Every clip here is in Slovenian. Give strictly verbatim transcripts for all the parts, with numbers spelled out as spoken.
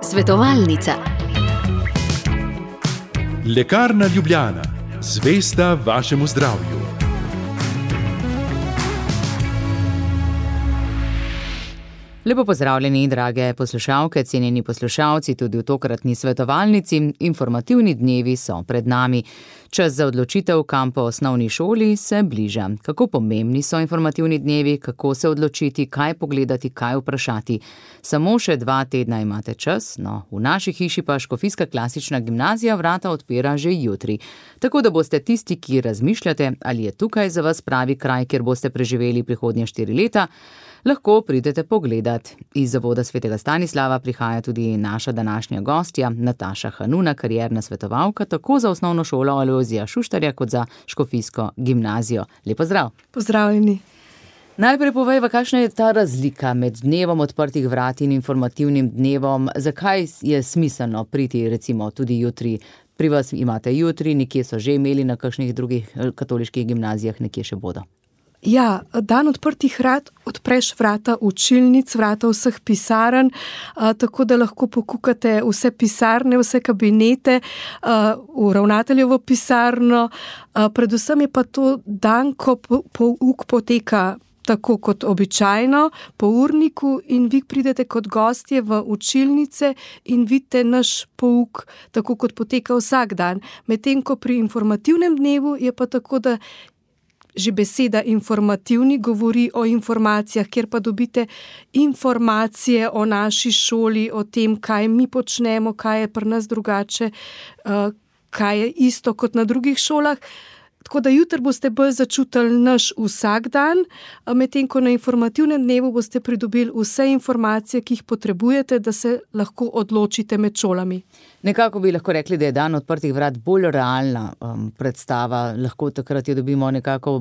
Svetovalnica. Lekarna Ljubljana, zvesta vašemu zdravju. Lepo pozdravljeni, drage poslušalke, cenjeni poslušalci, tudi v tokratni svetovalnici. Informativni dnevi so pred nami. Čas za odločitev, kam po osnovni šoli, se bliža. Kako pomembni so informativni dnevi, kako se odločiti, kaj pogledati, kaj vprašati. Samo še dva tedna imate čas, no, v naši hiši pa Škofijska klasična gimnazija vrata odpira že jutri. Tako da boste tisti, ki razmišljate, ali je tukaj za vas pravi kraj, kjer boste preživeli prihodnje štiri leta, lahko pridete pogledat. Iz Zavoda svetega Stanislava prihaja tudi naša današnja gostja, Nataša Hanuna, karierna svetovalka, tako za osnovno šolo Alojzija Šuštarja, kot za Škofijsko gimnazijo. Lep pozdrav. Pozdravljeni. Najprej povejva, kakšna je ta razlika med dnevom odprtih vrat in informativnim dnevom? Zakaj je smiselno priti recimo tudi jutri? Pri vas imate jutri, nekje so že imeli, na kakšnih drugih katoliških gimnazijah nekje še bodo. Ja, dan odprtih vrat, odpreš vrata učilnic, vrata vseh pisarn, a, tako da lahko pokukate vse pisarne, vse kabinete, a, v ravnateljevo pisarno. A, predvsem je pa to dan, ko pouk poteka tako kot običajno, po urniku, in vi pridete kot gostje v učilnice in vidite naš pouk, tako kot poteka vsak dan. Medtem ko pri informativnem dnevu je pa tako, da že beseda informativni govori o informacijah, kjer pa dobite informacije o naši šoli, o tem, kaj mi počnemo, kaj je pri nas drugače, kaj je isto kot na drugih šolah. Tako da jutri boste bolj začutili naš vsak dan, medtem ko na informativnem dnevu boste pridobili vse informacije, ki jih potrebujete, da se lahko odločite med šolami. Nekako bi lahko rekli, da je dan odprtih vrat bolj realna um, predstava, lahko takrat jo dobimo nekako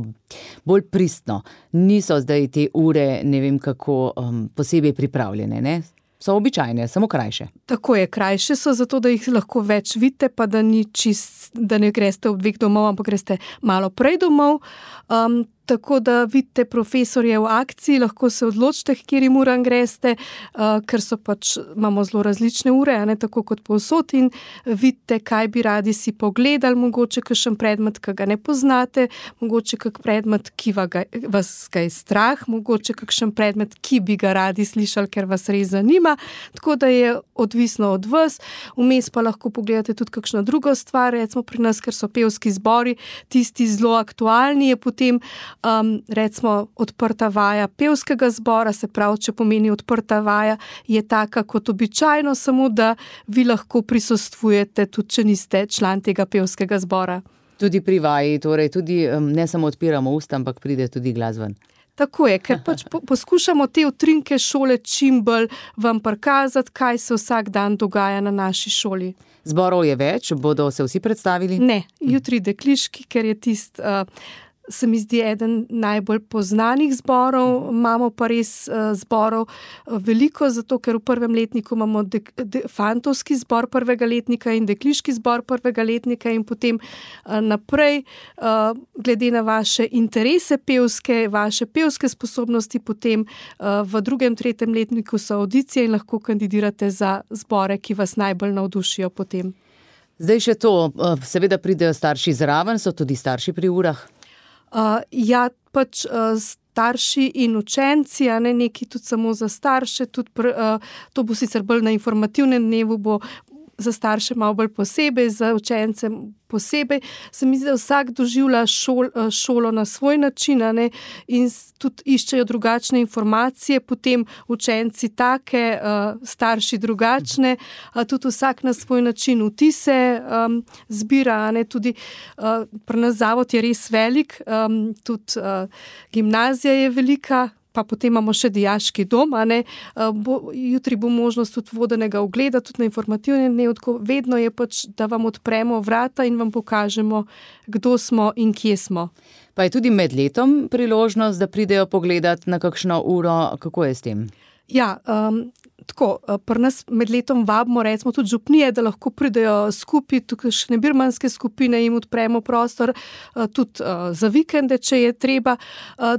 bolj pristno. Niso zdaj te ure, ne vem kako, um, posebej pripravljene, ne? So običajne, samo krajše. Tako je, krajše so zato, da jih lahko več vidite, pa da ni čist, da ne greste ob dveh domov, ampak greste malo prej domov. Um, tako da vidite profesorje v akciji, lahko se odločite, kjerim uram greste, uh, ker so pač, imamo zelo različne ure, ne, tako kot povsod, in vidite, kaj bi radi si pogledali, mogoče kakšen predmet, ki ga ne poznate, mogoče kak predmet, ki ga, vas ga je strah, mogoče kakšen predmet, ki bi ga radi slišali, ker vas res zanima, tako da je odvisno od vas. Vmes pa lahko pogledate tudi kakšno drugo stvar, recimo pri nas, ker so pevski zbori, tisti zelo aktualni, je potem Um, recimo odprta vaja pevskega zbora, se pravi, če pomeni odprta vaja, je taka kot običajno, samo da vi lahko prisostvujete, tudi če niste član tega pevskega zbora. Tudi pri vaji, torej tudi um, ne samo odpiramo usta, ampak pride tudi glas ven. Tako je, ker pač po, poskušamo te utrinke šole čim bolj vam prikazati, kaj se vsak dan dogaja na naši šoli. Zborov je več, bodo se vsi predstavili? Ne, jutri dekliški, ker je tist... Uh, se mi zdi eden najbolj poznanih zborov, imamo pa res uh, zborov uh, veliko, zato ker v prvem letniku imamo de, de, fantovski zbor prvega letnika in dekliški zbor prvega letnika in potem uh, naprej, uh, glede na vaše interese pevske, vaše pevske sposobnosti, potem uh, v drugem, tretjem letniku so audicije in lahko kandidirate za zbore, ki vas najbolj navdušijo potem. Zdaj še to, uh, seveda pridejo starši zraven, so tudi starši pri urah? Uh, ja, pač uh, starši in učenci, a ne neki tudi samo za starše, tudi pr, uh, to bo sicer bolj na informativnem dnevu, bo za starše malo bolj posebej, za učence posebej. Se mi zdi, da vsak doživlja šol, šolo na svoj način, a ne, in tudi iščejo drugačne informacije, potem učenci take, uh, starši drugačne, uh, tudi vsak na svoj način vtise um, zbira, a ne, tudi uh, pri nas zavod je res velik, um, tudi uh, gimnazija je velika, pa potem imamo še dijaški dom, a ne, bo, jutri bo možnost tudi vodenega ogleda, tudi na informativnem dnevu, vedno je pač, da vam odpremo vrata in vam pokažemo, kdo smo in kje smo. Pa je tudi med letom priložnost, da pridejo pogledat na kakšno uro, kako je s tem? Ja, um, tako, pri nas med letom vabimo, recimo tudi župnije, da lahko pridejo skupaj, tukaj še ne birmanske skupine, jim odpremo prostor, tudi za vikende, če je treba.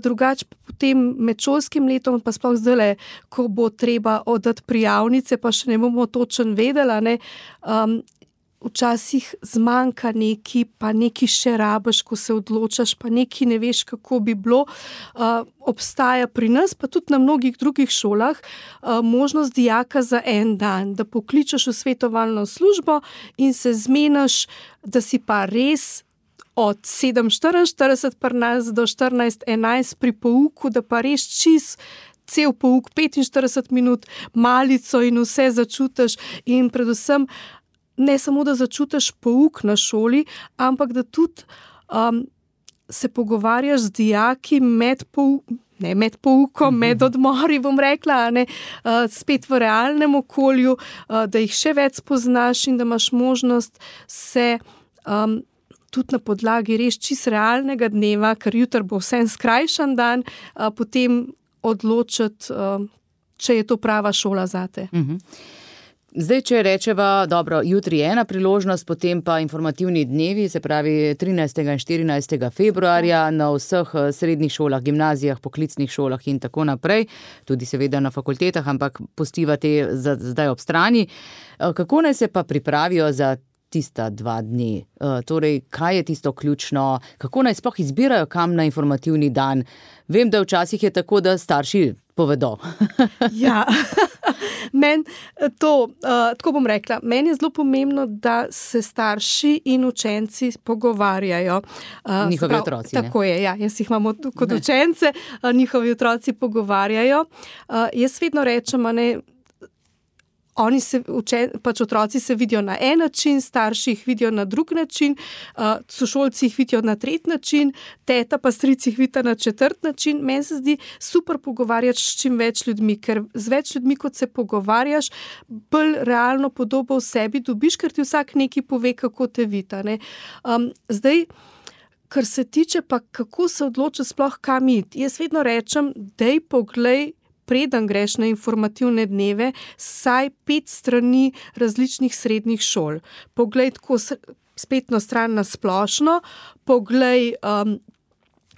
Drugače potem med šolskim letom, pa sploh zdajle, ko bo treba oddati prijavnice, pa še ne bomo točno vedela, ne, um, včasih zmanjka neki, pa neki še rabiš, ko se odločaš, pa neki ne veš, kako bi bilo. Uh, obstaja pri nas, pa tudi na mnogih drugih šolah, uh, možnost dijaka za en dan, da pokličeš v svetovalno službo in se zmeniš, da si pa res od sedem štiriinštirideset pri nas do štirinajst enajst pri pouku, da pa res čist cel pouk, petinštirideset minut, malico in vse začutiš in predvsem ne samo, da začutiš pouk na šoli, ampak da tudi um, se pogovarjaš z dijaki med poukom, ne med poukom, mm-hmm. med odmori, bom rekla, ne, uh, spet v realnem okolju, uh, da jih še več spoznaš in da imaš možnost se um, tudi na podlagi res čist realnega dneva, ker jutri bo vsem skrajšan dan, uh, potem odločiti, uh, če je to prava šola zate. Mm-hmm. Zdaj, če rečeva, dobro, jutri je ena priložnost, potem pa informativni dnevi, se pravi trinajstega in štirinajstega februarja na vseh srednjih šolah, gimnazijah, poklicnih šolah in tako naprej, tudi seveda na fakultetah, ampak pustiva te zdaj ob strani. Kako naj se pa pripravijo za tista dva dni? Torej, kaj je tisto ključno? Kako naj sploh izbirajo, kam na informativni dan? Vem, da včasih je tako, da starši povedo. Ja, men to, uh, tako bom rekla, meni je zelo pomembno, da se starši in učenci pogovarjajo. Uh, njihovi sprav, otroci, tako ne? Je, ja, jaz jih imam kot ne. Učence, uh, njihovi otroci pogovarjajo. Uh, jaz vedno rečem, a ne, Oni se, učen, pač otroci se vidijo na en način, starši jih vidijo na drug način, uh, sošolci jih vidijo na tretji način, teta pa stric jih vidita na četrt način. Meni se zdi super pogovarjati s čim več ljudmi, ker z več ljudmi, kot se pogovarjaš, bolj realno podobo v sebi dobiš, ker ti vsak nekaj pove, kako te vita. Ne? Um, zdaj, kar se tiče pa, kako se odločiti sploh kam iti, jaz vedno rečem, dej poglej, preden greš na informativne dneve, saj pet strani različnih srednjih šol. Poglej tako spletno stran na splošno, poglej um,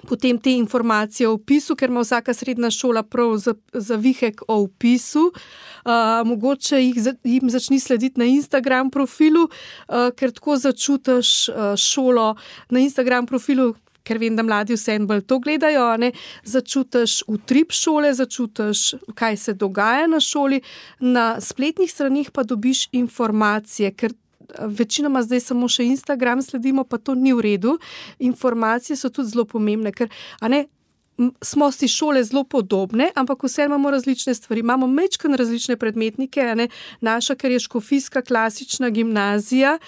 potem te informacije o opisu, ker ima vsaka srednja šola prav za, za vihek o opisu. Uh, mogoče jih, jim začni slediti na Instagram profilu, uh, ker tako začutiš uh, šolo na Instagram profilu, ker vem, da mladi vseeno bolj to gledajo, ne, začutiš utrip šole, začutiš, kaj se dogaja na šoli, na spletnih stranih pa dobiš informacije, ker večinoma zdaj samo še Instagram sledimo, pa to ni v redu. Informacije so tudi zelo pomembne, ker a ne, smo si šole zelo podobne, ampak vse imamo različne stvari. Imamo mečkan različne predmetnike, a ne, naša, ker je škofijska klasična gimnazija,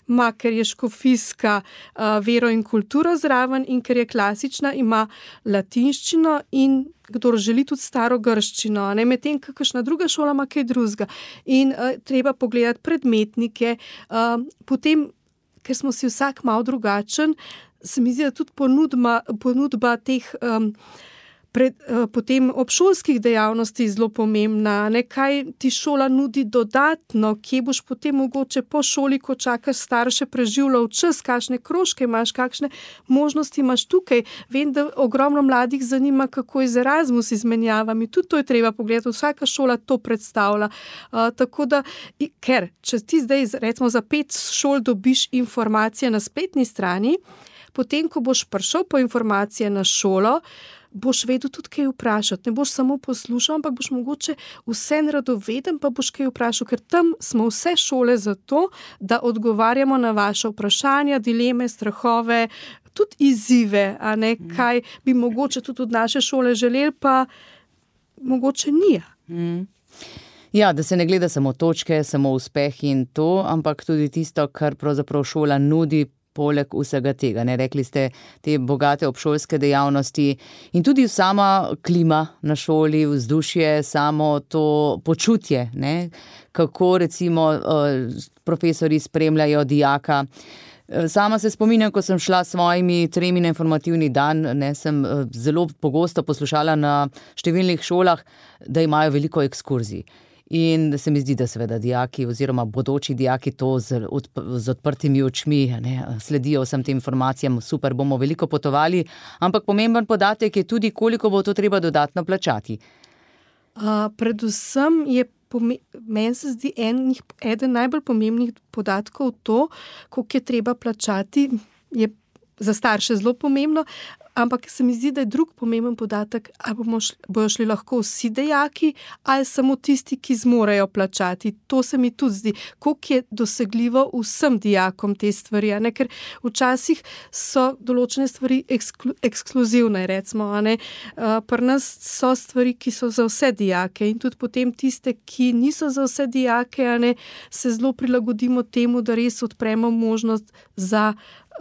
ima, ker je škofijska uh, vero in kulturo zraven in ker je klasična, ima latinščino in kdor želi tudi staro grščino, ne, medtem kakšna druga šola ima kaj drugega. In uh, treba pogledati predmetnike, uh, potem, ker smo si vsak malo drugačen, se mi zdi, da tudi ponudba, ponudba teh um, pred, uh, potem obšolskih dejavnosti zelo pomembna, ne, kaj ti šola nudi dodatno, kje boš potem mogoče po šoli, ko čakaš starše, preživljal čas, kakšne krožke imaš, kakšne možnosti imaš tukaj. Vem, da ogromno mladih zanima, kako je z Erasmus izmenjavami, tudi to je treba pogledati, vsaka šola to predstavlja. Uh, tako da, ker če ti zdaj recimo za pet šol dobiš informacije na spletni strani, potem, ko boš prišel po informacije na šolo, boš vedel tudi kaj vprašati. Ne boš samo poslušal, ampak boš mogoče vse radoveden, pa boš kaj vprašal, ker tam smo vse šole zato, da odgovarjamo na vaše vprašanja, dileme, strahove, tudi izzive, a ne, kaj bi mogoče tudi od naše šole želeli, pa mogoče ni. Mm. Ja, da se ne gleda samo točke, samo uspeh in to, ampak tudi tisto, kar pravzaprav šola nudi, poleg vsega tega. Ne, rekli ste te bogate obšolske dejavnosti in tudi sama klima na šoli, vzdušje, samo to počutje, ne, kako recimo profesori spremljajo dijaka. Sama se spominjam, ko sem šla s svojimi tremi na informativni dan, ne, sem zelo pogosto poslušala na številnih šolah, da imajo veliko ekskurzij. In se mi zdi, da seveda dijaki oziroma bodoči dijaki to z, odp z odprtimi očmi ne, sledijo vsem tem informacijam, super, bomo veliko potovali, ampak pomemben podatek je tudi, koliko bo to treba dodatno plačati. Uh, predvsem je meni se zdi en, eden najbolj pomembnih podatkov to, koliko je treba plačati, je za starše zelo pomembno, ampak se mi zdi, da je drug pomemben podatek, ali bomo šli, bojo šli lahko vsi dijaki ali samo tisti, ki zmorejo plačati. To se mi tudi zdi, koliko je dosegljivo vsem dijakom te stvari, ne? Ker včasih so določene stvari eksklu, ekskluzivne, recimo, ne? Uh, pri nas so stvari, ki so za vse dijake in tudi potem tiste, ki niso za vse dijake, ne? Se zelo prilagodimo temu, da res odpremo možnost za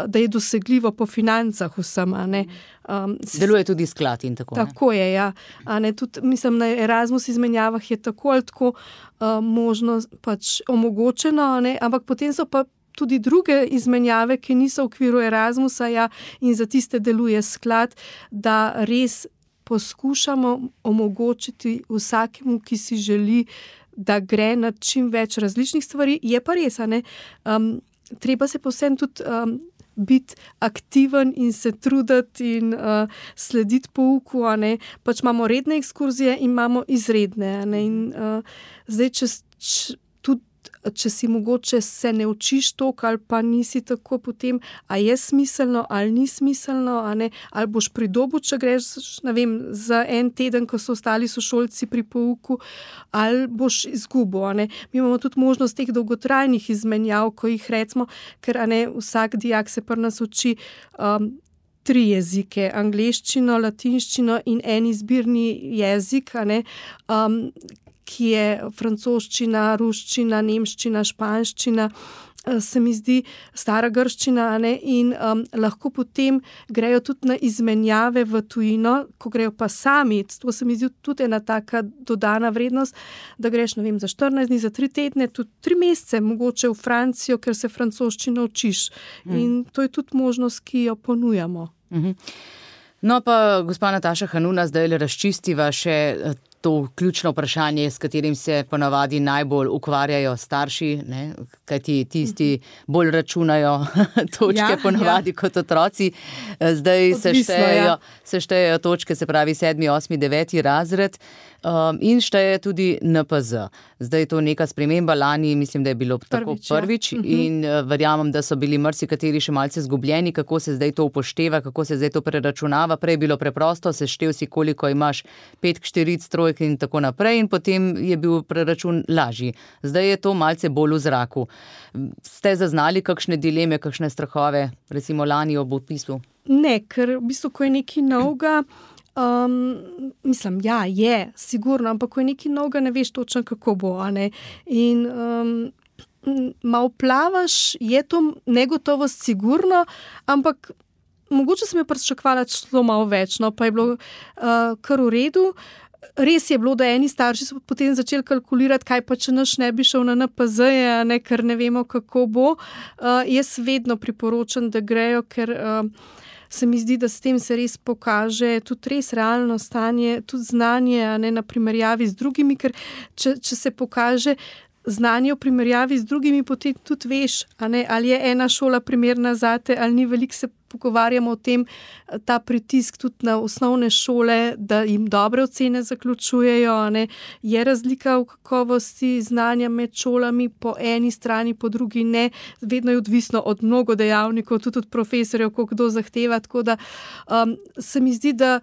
da je dosegljivo po financah vsem. A ne. Um, Deluje tudi sklad in tako. Tako ne? je, ja. A ne, tudi, mislim, na Erasmus izmenjavah je tako ali tako uh, možno pač omogočeno, a ne, ampak potem so pa tudi druge izmenjave, ki niso v okviru Erasmusa, ja, in za tiste deluje sklad, da res poskušamo omogočiti vsakemu, ki si želi, da gre na čim več različnih stvari. Je pa res, a ne, um, treba se povsem tudi um, biti aktiven in se truditi in uh, slediti pouku, a ne. Pač imamo redne ekskurzije in imamo izredne, a ne. In uh, zdaj, če, če, tudi, če si mogoče se ne učiš toliko ali pa nisi tako potem, a je smiselno ali ni smiselno, a ne, ali boš pridobil, če greš, ne vem, za en teden, ko so ostali sošolci pri pouku, ali boš izgubil, a ne. Mi imamo tudi možnost teh dolgotrajnih izmenjav, ko jih recimo, ker a ne, vsak dijak se pri nas uči um, tri jezike, angleščino, latinščino in en izbirni jezik, a ne, um, ki je francoščina, ruščina, nemščina, španščina, se mi zdi stara grščina, ne, in um, lahko potem grejo tudi na izmenjave v tujino, ko grejo pa sami, to se mi zdi tudi ena taka dodana vrednost, da greš, ne vem, za štirinajst dni, za tri tedne, tudi tri mesece, mogoče v Francijo, ker se francoščino učiš. Mm. In to je tudi možnost, ki jo ponujamo. Mm-hmm. No pa, gospa Nataša Hanuna, zdaj le razčistiva še to ključno vprašanje, s katerim se ponavadi najbolj ukvarjajo starši, ne? Kajti tisti bolj računajo točke ja, ponavadi ja. Kot otroci. Zdaj Odvisno, se, štejejo, ja. se štejejo točke, se pravi sedmi, osmi, deveti razred um, in šteje tudi N P Z. Zdaj je to neka sprememba, lani mislim, da je bilo prvič, tako prvič ja. In uh, verjamem, da so bili marsikateri še malce zgubljeni, kako se zdaj to upošteva, kako se zdaj to preračunava. Prej je bilo preprosto, seštel si, koliko imaš petk, štiric, trojk in tako naprej in potem je bil preračun lažji. Zdaj je to malce bolj v zraku. Ste zaznali kakšne dileme, kakšne strahove, recimo lani ob odpisu? Ne, ker v bistvu, ko je nekaj novega, um, mislim, ja, je, sigurno, ampak ko je nekaj novega, ne veš točno, kako bo, a ne. In um, malo plavaš, je to negotovost sigurno, ampak mogoče sem jo pričakovala celo malo več, no, pa je bilo uh, kar v redu. Res je bilo, da eni starši so potem začeli kalkulirati, kaj pa če naš ne bi šel na N P Z, ne, ker ne vemo, kako bo. Uh, jaz vedno priporočam, da grejo, ker uh, se mi zdi, da s tem se res pokaže tudi res realno stanje, tudi znanje, a ne na primerjavi z drugimi, ker če, če se pokaže znanje v primerjavi z drugimi, potem tudi veš, a ne, ali je ena šola primerna zate, ali ni. Veliko se pogovarjamo o tem, ta pritisk tudi na osnovne šole, da jim dobre ocene zaključujejo, a ne. Je razlika v kakovosti znanja med šolami po eni strani, po drugi ne. Vedno je odvisno od mnogo dejavnikov, tudi od profesorjev, ko kdo zahteva, tako da um, se mi zdi, da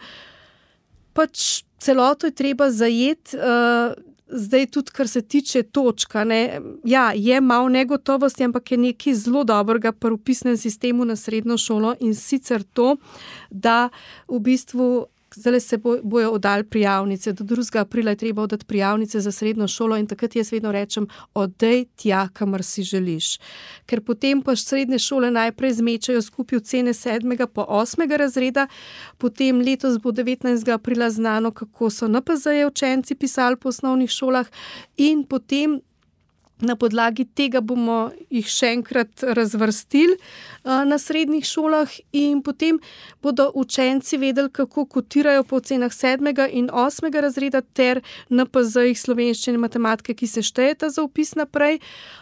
pač celoto je treba zajeti. Uh, Zdaj tudi, kar se tiče točka, ne, ja, je malo negotovosti, ampak je nekaj zelo dobrega pri vpisnem sistemu na srednjo šolo in sicer to, da v bistvu zdaj se bo, bojo oddali prijavnice. Do drugega aprila je treba oddati prijavnice za srednjo šolo in takrat jaz vedno rečem, oddej tja, kamor si želiš. Ker potem pa srednje šole najprej zmečajo skupaj ocene sedmega po osmega razreda, potem letos bo devetnajstega aprila znano, kako so N P Z-je učenci pisali po osnovnih šolah in potem Na podlagi tega bomo jih še enkrat razvrstili na srednjih šolah in potem bodo učenci vedeli, kako kotirajo po ocenah sedmega in osmega razreda ter en pe zejih slovenščine in matematike, ki se štejeta za vpis naprej.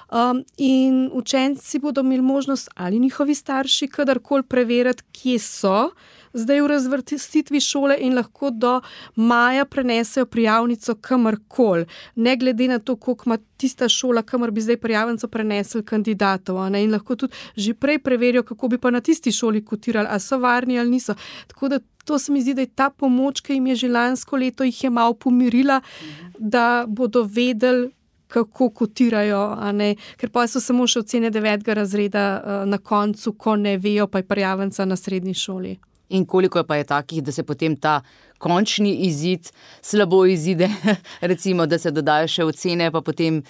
Um, in učenci bodo imeli možnost ali njihovi starši kadarkoli preveriti, kje so zdaj v razvrstitvi šole in lahko do maja prenesejo prijavnico kamorkoli, ne glede na to, koliko ima tista šola, kamor bi zdaj prijavnico prenesli kandidatov. Ne? In lahko tudi že prej preverijo, kako bi pa na tisti šoli kotirali, a so varni ali niso. Tako da to se mi zdi, da je ta pomoč, ki jim je že lansko leto, jih je malo pomirila, da bodo vedeli, kako kotirajo, a ne, ker pa so samo še ocene devetega razreda na koncu, ko ne vejo, pa je prijavnica na srednji šoli. In koliko pa je takih, da se potem ta končni izid slabo izide, recimo, da se dodajo še ocene, pa potem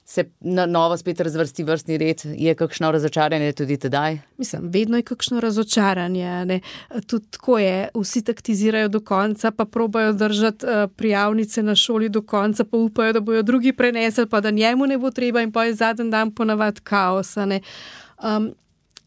se na novo spet razvrsti vrstni red, je kakšno razočaranje tudi tedaj? Mislim, vedno je kakšno razočaranje, ne. Tudi tako je, vsi taktizirajo do konca, pa probajo držati uh, prijavnice na šoli do konca, pa upajo, da bojo drugi prenesli, pa da njemu ne bo treba in pa je zadnji dan ponavadi kaos, ne. Um,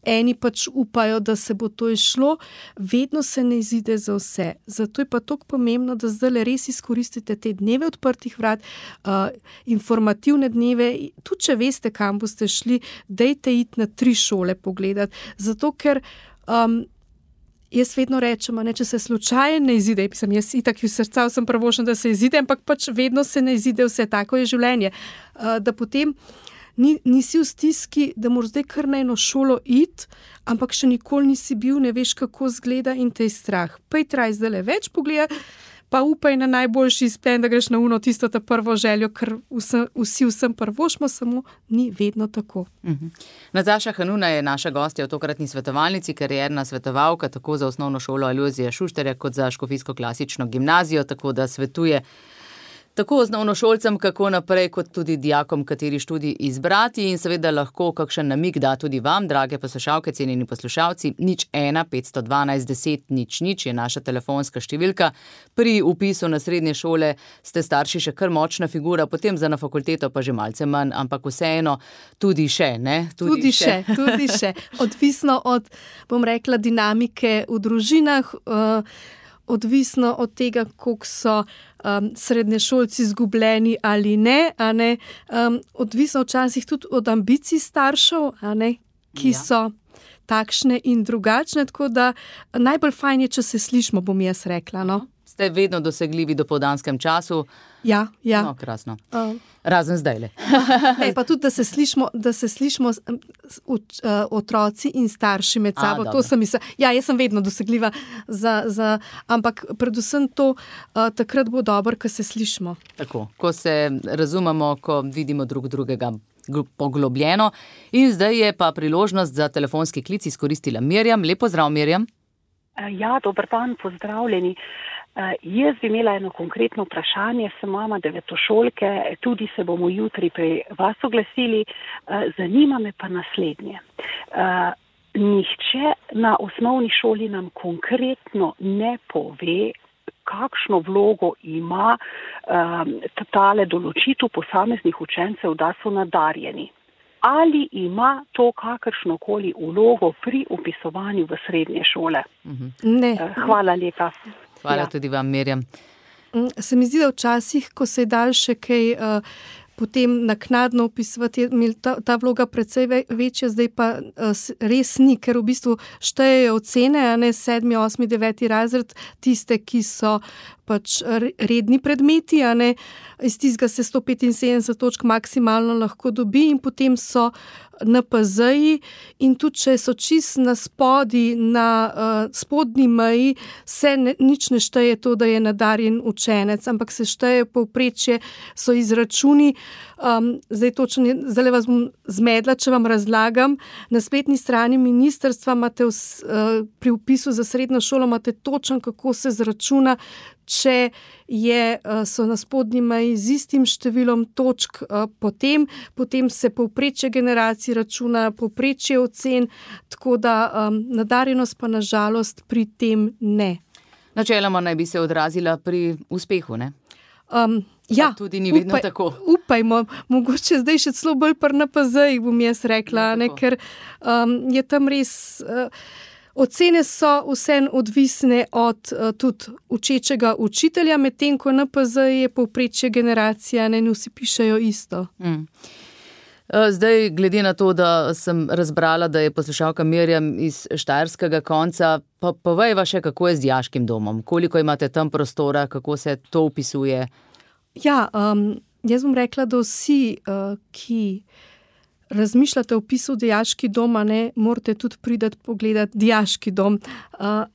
Eni pač upajo, da se bo to izšlo, vedno se ne izide za vse. Zato je pa toliko pomembno, da zdaj res izkoristite te dneve odprtih vrat, uh, informativne dneve, tudi če veste, kam boste šli, dejte iti na tri šole pogledati. Zato, ker um, jaz vedno rečem, ne, če se slučajno ne izide, pisam, jaz itak v srca sem pravošen, da se izide, ampak pač vedno se ne izide vse, tako je življenje. Uh, da potem Ni, nisi v stiski, da moraš zdaj kar na eno šolo iti, ampak še nikoli nisi bil, ne veš, kako zgleda in te je strah. Pa je traj zdaj le več pogleda, pa upaj na najboljši izplen, da greš na uno tisto ta prvo željo, ker vsem, vsi vsem prvošmo, samo ni vedno tako. Uh-huh. Nataša Hanuna je naša gostja v tokratni svetovalnici, karierna svetovalka tako za osnovno šolo Alojzija Šuštarja kot za škofijsko klasično gimnazijo, tako da svetuje tako osnovnošolcem, kako naprej, kot tudi dijakom, kateri študij izbrati in seveda lahko kakšen namig da tudi vam, drage poslušalke, cenjeni poslušalci. Nič ena, petsto dvanajst, deset, nič, nič je naša telefonska številka. Pri vpisu na srednje šole ste starši še kar močna figura, potem za na fakulteto pa že malce manj, ampak vseeno tudi še, ne? Tudi, tudi še, še, tudi še. Odvisno od, bom rekla, dinamike v družinah, uh, odvisno od tega, koliko so um, srednješolci izgubljeni ali ne, a ne? Um, odvisno včasih tudi od ambicij staršev, a ne? Ki ja. so takšne in drugačne, tako da najbolj fajn je, če se slišimo, bom jaz rekla. No? Ste vedno dosegljivi do povdanskem času? Ja, ja. No, krasno. Uh. Razen zdajle. Ne, pa tudi, da se slišimo, da se slišimo uh, otroci in starši med sabo. A, to sem misla, ja, jaz sem vedno dosegljiva, za, za, ampak predvsem to, uh, takrat bo dobro, ko se slišimo. Tako, ko se razumemo, ko vidimo drug drugega poglobljeno. In zdaj je pa priložnost za telefonski klic izkoristila Mirjam. Lep pozdrav, Mirjam. Ja, dober dan, pozdravljeni. Uh, jaz bi imela eno konkretno vprašanje, sem mama devetošolke, tudi se bomo jutri pri vas oglasili. Uh, zanima me pa naslednje. Uh, nihče na osnovni šoli nam konkretno ne pove, kakšno vlogo ima um, tale določitev posameznih učencev, da so nadarjeni. Ali ima to kakršnokoli vlogo pri upisovanju v srednje šole? Ne. Uh, hvala lepa. Hvala ja. tudi vam, Mirjam. Se mi zdi, da včasih, ko se je dal še kaj uh, potem naknadno opisovati, je ta, ta vloga precej večja, zdaj pa uh, res ni, ker v bistvu štejejo ocene, a ne sedmi, osmi, deveti razred, tiste, ki so pač redni predmeti, a ne, iz tistega se sto petinsedemdeset točk maksimalno lahko dobi in potem so en pe zeji in tudi, če so čist na spodi, na uh, spodnji meji, se ne, nič ne šteje to, da je nadarjen učenec, ampak se šteje povprečje, so izračuni. Um, zdaj točno, zdaj vas bom zmedla, če vam razlagam. Na spletni strani ministrstva imate v, uh, pri vpisu za srednjo šolo imate točno, kako se zračuna, če je, uh, so na spodnji meji z istim številom točk uh, potem, potem se povprečje generacij računa, povprečje ocen, tako da um, nadarjenost pa na žalost pri tem ne. Načeloma naj bi se odrazila pri uspehu, ne? Um, Ja, tudi ni vedno upaj, tako. Upajmo, mogoče zdaj še celo bolj pri N P Z-jih, bom jaz rekla, ne, ker um, je tam res, uh, ocene so vse odvisne od uh, tudi učečega učitelja, medtem ko N P Z je povprečje generacija, ne, in vsi pišejo isto. Mm. Zdaj, glede na to, da sem razbrala, da je poslušalka Mirjam iz štajerskega konca, pa povejva še, kako je z dijaškim domom, koliko imate tam prostora, kako se to opisuje? Ja, um, jaz bom rekla, da vsi, uh, ki razmišljate o opisu dijaški doma, ne, morate tudi priti pogledati dijaški dom. Uh,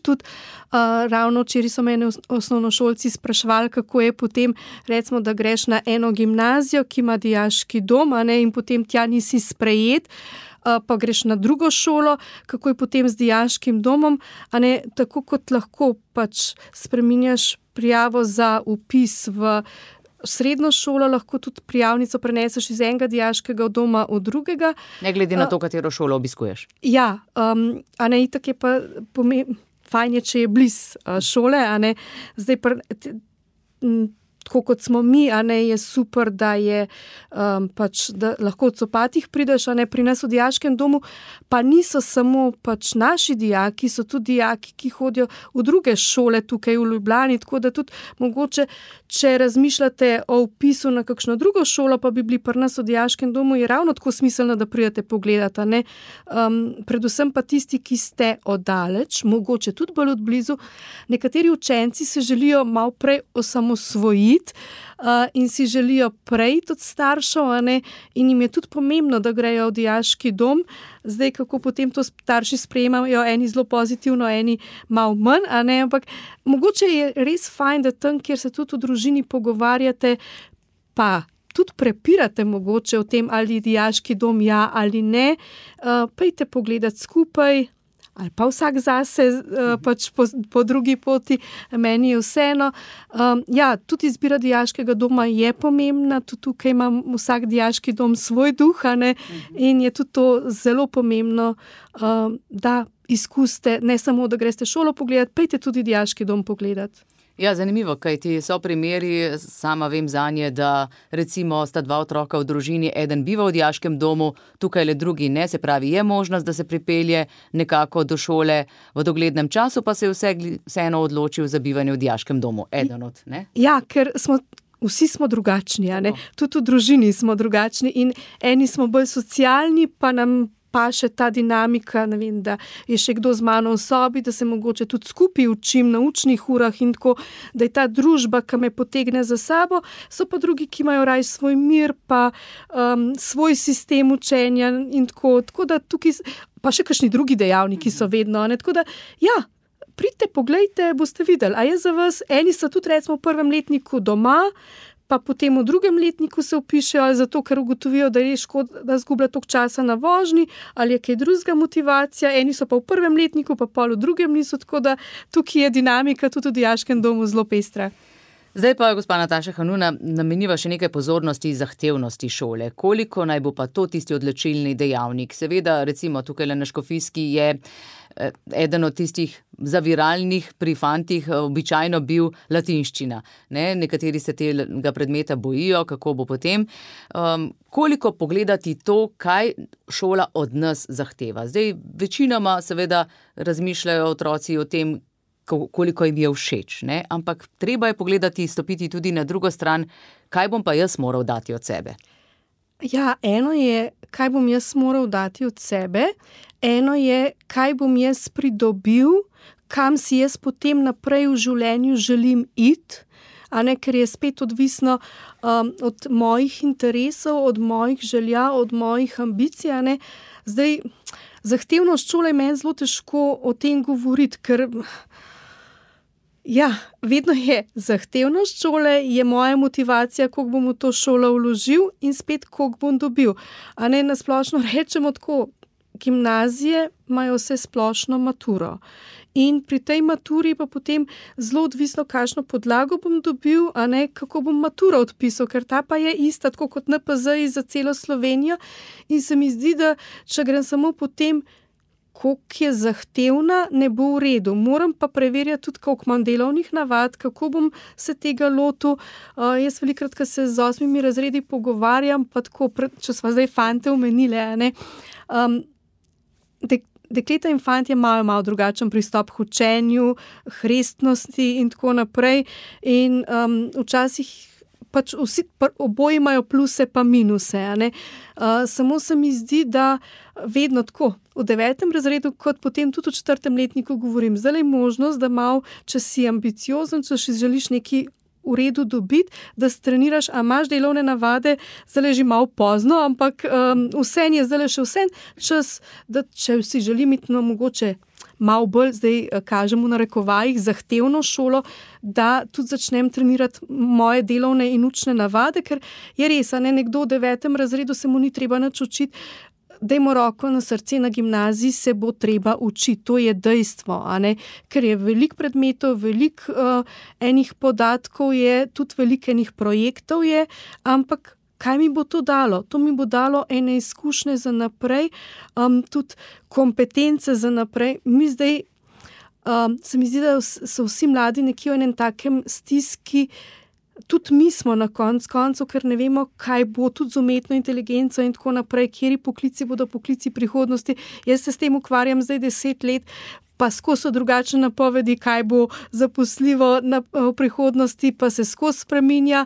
tudi uh, ravno včeraj so mene osnovnošolci spraševali, kako je potem, recimo, da greš na eno gimnazijo, ki ima dijaški dom, a ne, in potem tja nisi sprejet, uh, pa greš na drugo šolo, kako je potem z dijaškim domom, a ne, tako kot lahko pač spreminjaš prijavo za vpis v srednjo šolo, lahko tudi prijavnico preneseš iz enega dijaškega doma v drugega. Ne glede na to, katero šolo obiskuješ. Ja, um, a ne, itak je pa pomembno, fajn je, če je bliz uh, šole, a ne, zdaj pa, t, m, tako kot smo mi, a ne, je super, da je um, pač, da lahko od copatih prideš, a ne, pri nas v dijaškem domu, pa niso samo pač naši dijaki, so tudi dijaki, ki hodijo v druge šole tukaj v Ljubljani, tako da tudi mogoče, če razmišljate o vpisu na kakšno drugo šolo, pa bi bili pri nas v dijaškem domu, je ravno tako smiselno, da pridete pogledati, a ne. Um, predvsem pa tisti, ki ste oddaleč, mogoče tudi bolj od blizu, nekateri učenci se želijo malo prej osamosvojiti, Uh, in si želijo prej od staršev, a ne, in jim je tudi pomembno, da grejo v dijaški dom. Zdaj, kako potem to starši sprejemajo, eni zelo pozitivno, eni malo manj, a ne, ampak mogoče je res fajn, da tam, kjer se tudi v družini pogovarjate, pa tudi prepirate mogoče o tem, ali dijaški dom ja ali ne, uh, pejte pogledati skupaj, ali pa vsak zase, uh, pač po, po drugi poti, meni je vseeno. Um, ja, tudi izbira dijaškega doma je pomembna, tudi tukaj ima vsak dijaški dom svoj duh, a ne, in je tudi to zelo pomembno, um, da izkusite, ne samo, da greste šolo pogledati, pejte tudi dijaški dom pogledati. Ja, zanimivo, kaj ti so primeri, sama vem zanje, da recimo sta dva otroka v družini, eden biva v dijaškem domu, tukaj le drugi ne, se pravi, je možnost, da se pripelje nekako do šole v doglednem času, pa se je vse, vseeno odločil za bivanje v dijaškem domu, eden od, ne? Ja, ker smo, vsi smo drugačni, a ne, tudi v družini smo drugačni in eni smo bolj socialni, pa nam pa še ta dinamika, ne vem, da je še kdo z mano v sobi, da se mogoče tudi skupaj učim na učnih urah in tako, da je ta družba, ki me potegne za sabo, so pa drugi, ki imajo raj svoj mir, pa um, svoj sistem učenja in tako, tako da tukaj, pa še kakšni drugi dejavniki so vedno, ne, tako da, ja, pridite, poglejte, boste videli, a je za vas, eni so tudi recimo v prvem letniku doma, pa potem v drugem letniku se vpišejo, ali zato, ker ugotovijo, da je škoda, da zgublja toliko časa na vožnji, ali je kaj drugega motivacija, eni so pa v prvem letniku, pa pol v drugem niso, tako da tukaj je dinamika tudi v dijaškem domu zelo pestra. Zdaj pa, gospa Nataša Hanuna, nameniva še nekaj pozornosti zahtevnosti šole. Koliko naj bo pa to tisti odločilni dejavnik? Seveda, recimo tukaj na Škofijski je eden od tistih zaviralnih pri fantih običajno bil latinščina. Ne? Nekateri se tega predmeta bojijo, kako bo potem. Um, koliko pogledati to, kaj šola od nas zahteva? Zdaj, večinoma seveda razmišljajo otroci o tem, koliko jim je všeč, ne? Ampak treba je pogledati, stopiti tudi na drugo stran, kaj bom pa jaz moral dati od sebe. Ja, eno je, kaj bom jaz moral dati od sebe, eno je, kaj bom jaz pridobil, kam si jaz potem naprej v življenju želim iti, a ne, ker je spet odvisno um, od mojih interesov, od mojih želja, od mojih ambicij, a ne. Zdaj, zahtevnost šole je meni zelo težko o tem govoriti, ker ja, vedno je zahtevnost šole, je moja motivacija, koliko bom v to šolo vložil in spet, koliko bom dobil. A ne, nasplošno rečemo tako, gimnazije imajo vse splošno maturo. In pri tej maturi pa potem zelo odvisno, kakšno podlago bom dobil, a ne, kako bom maturo odpisal, ker ta pa je ista, tako kot N P Z za celo Slovenijo. In se mi zdi, da če grem samo po tem, koliko je zahtevna, ne bo v redu. Moram pa preverjati tudi, koliko imam delovnih navad, kako bom se tega lotil. Uh, jaz velikrat, ko se z osmimi razredi pogovarjam, pa tako, če sva zdaj fante omenile, ne, um, dek, dekleta in fantje imajo malo drugačen pristop k učenju, hrestnosti in tako naprej. In um, včasih pač vsi oboji imajo pluse pa minuse. Ne? Uh, samo se mi zdi, da vedno tako, v devetem razredu, kot potem tudi v četrtem letniku govorim, zdaj je možnost, da malo, če si ambiciozen, če si želiš neki v redu dobiti, da streniraš, a imaš delovne navade, zdaj je že malo pozno, ampak um, vse je zdaj še vse čas, da če si želim iti, no, mogoče malo bolj, zdaj kažemo na rekovajih, zahtevno šolo, da tudi začnem trenirati moje delovne in učne navade, ker je res, a ne, nekdo v devetem razredu se mu ni treba nič učiti, dajmo roko na srce, na gimnaziji se bo treba učiti, to je dejstvo, a ne, ker je veliko predmetov, veliko uh, enih podatkov je, tudi veliko enih projektov je, ampak kaj mi bo to dalo? To mi bo dalo ene izkušnje za naprej, um, tudi kompetence za naprej. Mi zdaj, um, se mi zdi, da so vsi mladi nekje v enem takem stiski, tudi mi smo na konc koncu, ker ne vemo, kaj bo tudi z umetno inteligenco in tako naprej, kjeri poklici bodo poklici prihodnosti. Jaz se s tem ukvarjam zdaj deset let, pa skozi so drugačne napovedi, kaj bo zaposljivo na, v prihodnosti, pa se skozi spreminja,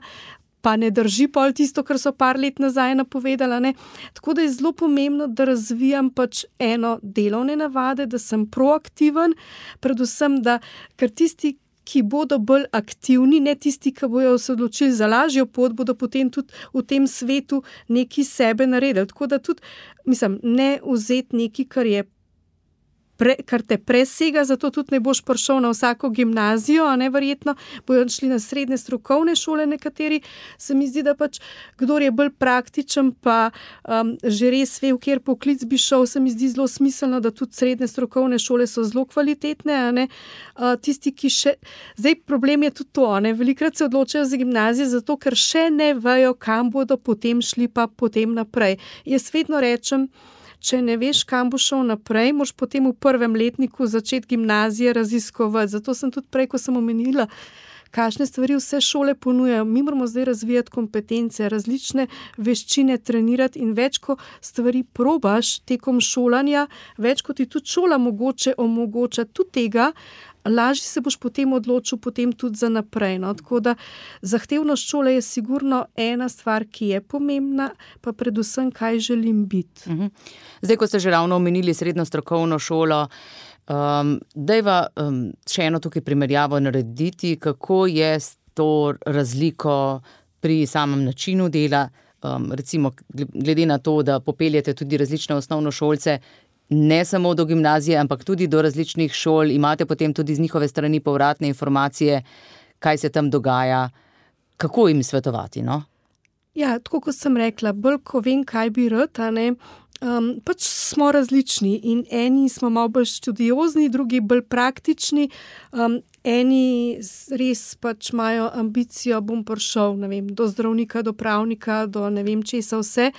pa ne drži pol tisto, kar so par let nazaj napovedala. Ne? Tako da je zelo pomembno, da razvijam pač eno delovne navade, da sem proaktiven, predvsem, da, ker tisti, ki bodo bolj aktivni, ne tisti, ki bojo se odločili za lažjo pot, bodo potem tudi v tem svetu nekaj sebe naredili. Tako da tudi, mislim, ne vzeti nekaj, kar je Pre, kar te presega, zato tudi ne boš prišel na vsako gimnazijo, a ne verjetno, bojo šli na srednje strokovne šole nekateri. Se mi zdi, da pač, kdor je bolj praktičen, pa um, že res ve, v kjer poklic bi šel, se mi zdi zelo smiselno, da tudi srednje strokovne šole so zelo kvalitetne, a ne. Uh, tisti, ki še, zdaj problem je tudi to, a ne, velikrat se odločajo za gimnazije, zato ker še ne vejo, kam bodo potem šli, pa potem naprej. Jaz vedno rečem, če ne veš, kam bo šel naprej, moraš potem v prvem letniku začeti gimnazije raziskovati. Zato sem tudi prej, ko sem omenila, kakšne stvari vse šole ponujajo. Mi moramo zdaj razvijati kompetence, različne veščine trenirati in več, ko stvari probaš tekom šolanja, več, ko ti tudi šola mogoče omogoča tudi tega, lažje se boš potem odločil potem tudi za naprej. No? Tako da zahtevnost šole je sigurno ena stvar, ki je pomembna, pa predvsem, kaj želim biti. Mhm. Zdaj, ko ste že ravno omenili srednjo strokovno šolo, um, dajva um, še eno tukaj primerjavo narediti, kako je s to razliko pri samem načinu dela, um, recimo glede na to, da popeljete tudi različne osnovnošolce, ne samo do gimnazije, ampak tudi do različnih šol, imate potem tudi z njihove strani povratne informacije, kaj se tam dogaja, kako jim svetovati, no? Ja, tako kot sem rekla, bolj ko vem, kaj bi rad, a ne, um, pač smo različni in eni smo malo bolj študiozni, drugi bolj praktični, um, eni res pač imajo ambicijo, bom prišel, ne vem, do zdravnika, do pravnika, do ne vem česa vse.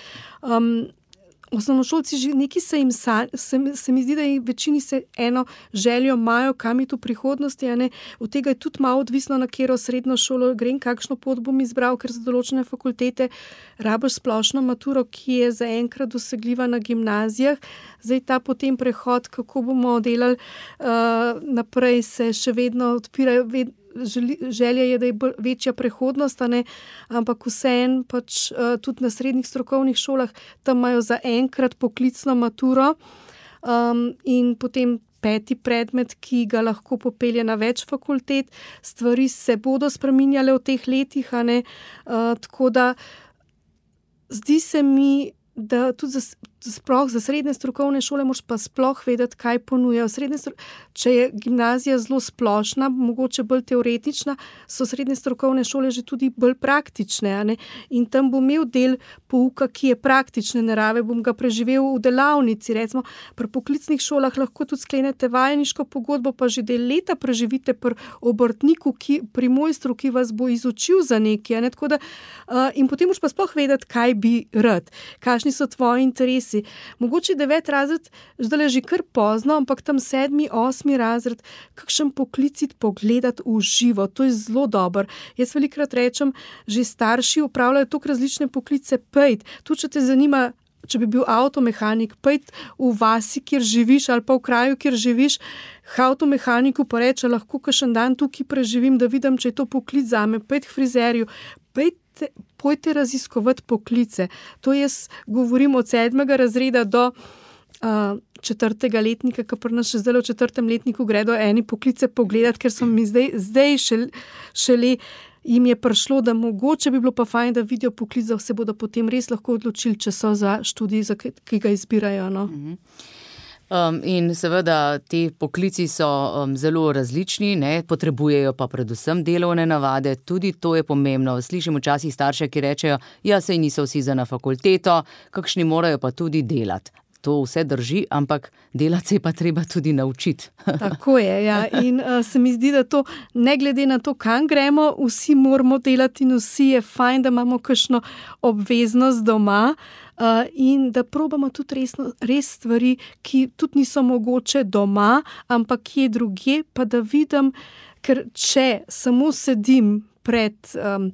Um, Osnovnošolci že neki se jim sa, se, se mi zdi, da jim večini se eno željo imajo, kam iti v prihodnosti, a ne, od tega je tudi malo odvisno, na katero srednjo šolo grem, kakšno pot bom izbral, ker za določene fakultete rabiš splošno maturo, ki je zaenkrat dosegljiva na gimnazijah. Zdaj ta potem prehod, kako bomo delali uh, naprej, se še vedno odpirajo, ved, želja je, da je bolj večja prehodnost, ne? Ampak vseeno pač uh, tudi na srednjih strokovnih šolah tam imajo za enkrat poklicno maturo um, in potem peti predmet, ki ga lahko popelje na več fakultet. Stvari se bodo spreminjale v teh letih, a ne? Uh, tako da zdi se mi, da tudi za, sploh za srednje strokovne šole moraš pa sploh vedeti, kaj ponujajo. Srednje, če je gimnazija zelo splošna, mogoče bolj teoretična, so srednje strokovne šole že tudi bolj praktične, a ne? In tam bom imel del pouka, ki je praktične narave, bom ga preživel v delavnici. Recimo, pri poklicnih šolah lahko tudi sklenete vajeniško pogodbo, pa že del leta preživite pri obrtniku, ki, pri mojstru, ki vas bo izučil za nekaj, a ne? Tako da, uh, in potem moraš pa sploh vedeti, kaj bi rad, kakšni so tvoji interesi, si. Mogoče devet razred, zdaj že kar pozno, ampak tam sedmi, osmi razred, kakšen poklicit pogledati v živo, to je zelo dobro. Jaz velikrat rečem, že starši upravljajo toliko različne poklice, pejt, tudi če te zanima, če bi bil avtomehanik, pejt v vasi, kjer živiš, ali pa v kraju, kjer živiš, avtomehaniku pa reče, lahko kakšen dan tukaj preživim, da vidim, če je to poklic zame, pejt k frizerju, pejte, pojte raziskovati poklice. To jaz govorim od sedmega razreda do uh, četrtega letnika, ki pri nas še zdaj v četrtem letniku gredo eni poklice pogledati, ker so mi zdaj, zdaj šele, šele jim je prišlo, da mogoče bi bilo pa fajn, da vidijo poklic, da se bodo potem res lahko odločili, če so za študij, za ki ga izbirajo. No? Um, in seveda ti poklici so um, zelo različni, ne, potrebujejo pa predvsem delovne navade, tudi to je pomembno. Slišim včasih starše, ki rečejo, ja, saj niso vsi za na fakulteto, kakšni morajo pa tudi delati. To vse drži, ampak delati se je pa treba tudi naučiti. Tako je, ja. In uh, se mi zdi, da to, ne glede na to, kam gremo, vsi moramo delati in vsi je fajn, da imamo kakšno obveznost doma uh, in da probamo tudi resno, res stvari, ki tudi niso mogoče doma, ampak kje drugje, pa da vidim, ker če samo sedim pred um,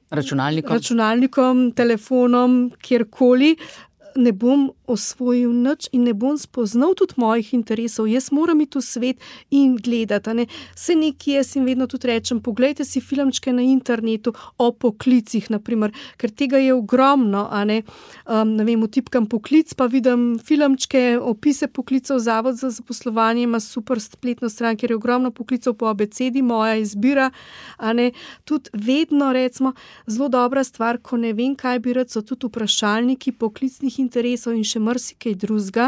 računalnikom. računalnikom, telefonom, kjerkoli, ne bom osvojil nič in ne bom spoznal tudi mojih interesov. Jaz moram iti v svet in gledati. Ne? Se nekaj jaz jim vedno tudi rečem, poglejte si filmčke na internetu o poklicih, naprimer, ker tega je ogromno. A ne? Um, ne vem, vtipkam poklic, pa vidim filmčke, opise poklicov, Zavod za zaposlovanje ima super spletno stran, ker je ogromno poklicov po abecedi, moja izbira. A ne? Tudi vedno, recimo, zelo dobra stvar, ko ne vem, kaj bi rad, so tudi vprašalniki poklicnih interesov in še marsikaj drugega,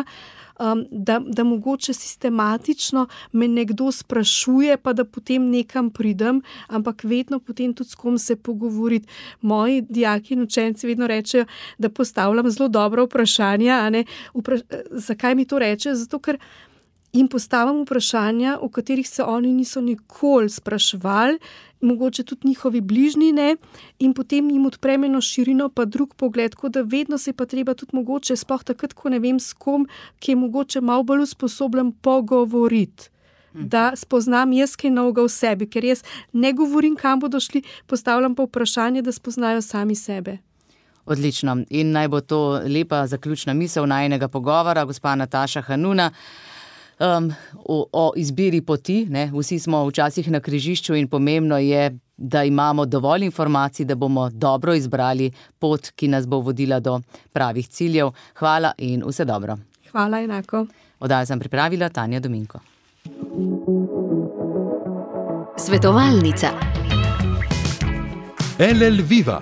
um, da, da mogoče sistematično me nekdo sprašuje, pa da potem nekam pridem, ampak vedno potem tudi s kom se pogovoriti. Moji dijaki in učenci vedno rečejo, da postavljam zelo dobra vprašanja. A ne? Vpraš- zakaj mi to reče? Zato, ker jim postavljam vprašanja, o katerih se oni niso nikoli spraševali, mogoče tudi njihovi bližnji ne, in potem jim odprem eno širino, pa drug pogled, tako da vedno se pa treba tudi mogoče, sploh takrat, ko ne vem s kom, ki je mogoče malo bolj usposobljen pogovoriti. Da spoznam jaz kaj novega v sebi, ker jaz ne govorim, kam bodo šli, postavljam pa vprašanje, da spoznajo sami sebe. Odlično. In naj bo to lepa zaključna misel najinega pogovora, gospa Nataša Hanuna. Um, o, o izbiri poti, ne? Vsi smo včasih na križišču in pomembno je, da imamo dovolj informacij, da bomo dobro izbrali pot, ki nas bo vodila do pravih ciljev. Hvala in vse dobro. Hvala enako. Oddajo sem pripravila Tanja Dominko. Svetovalnica. L L Viva,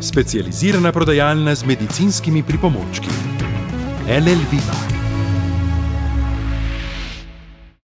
specializirana prodajalna z medicinskimi pripomočki. L L Viva.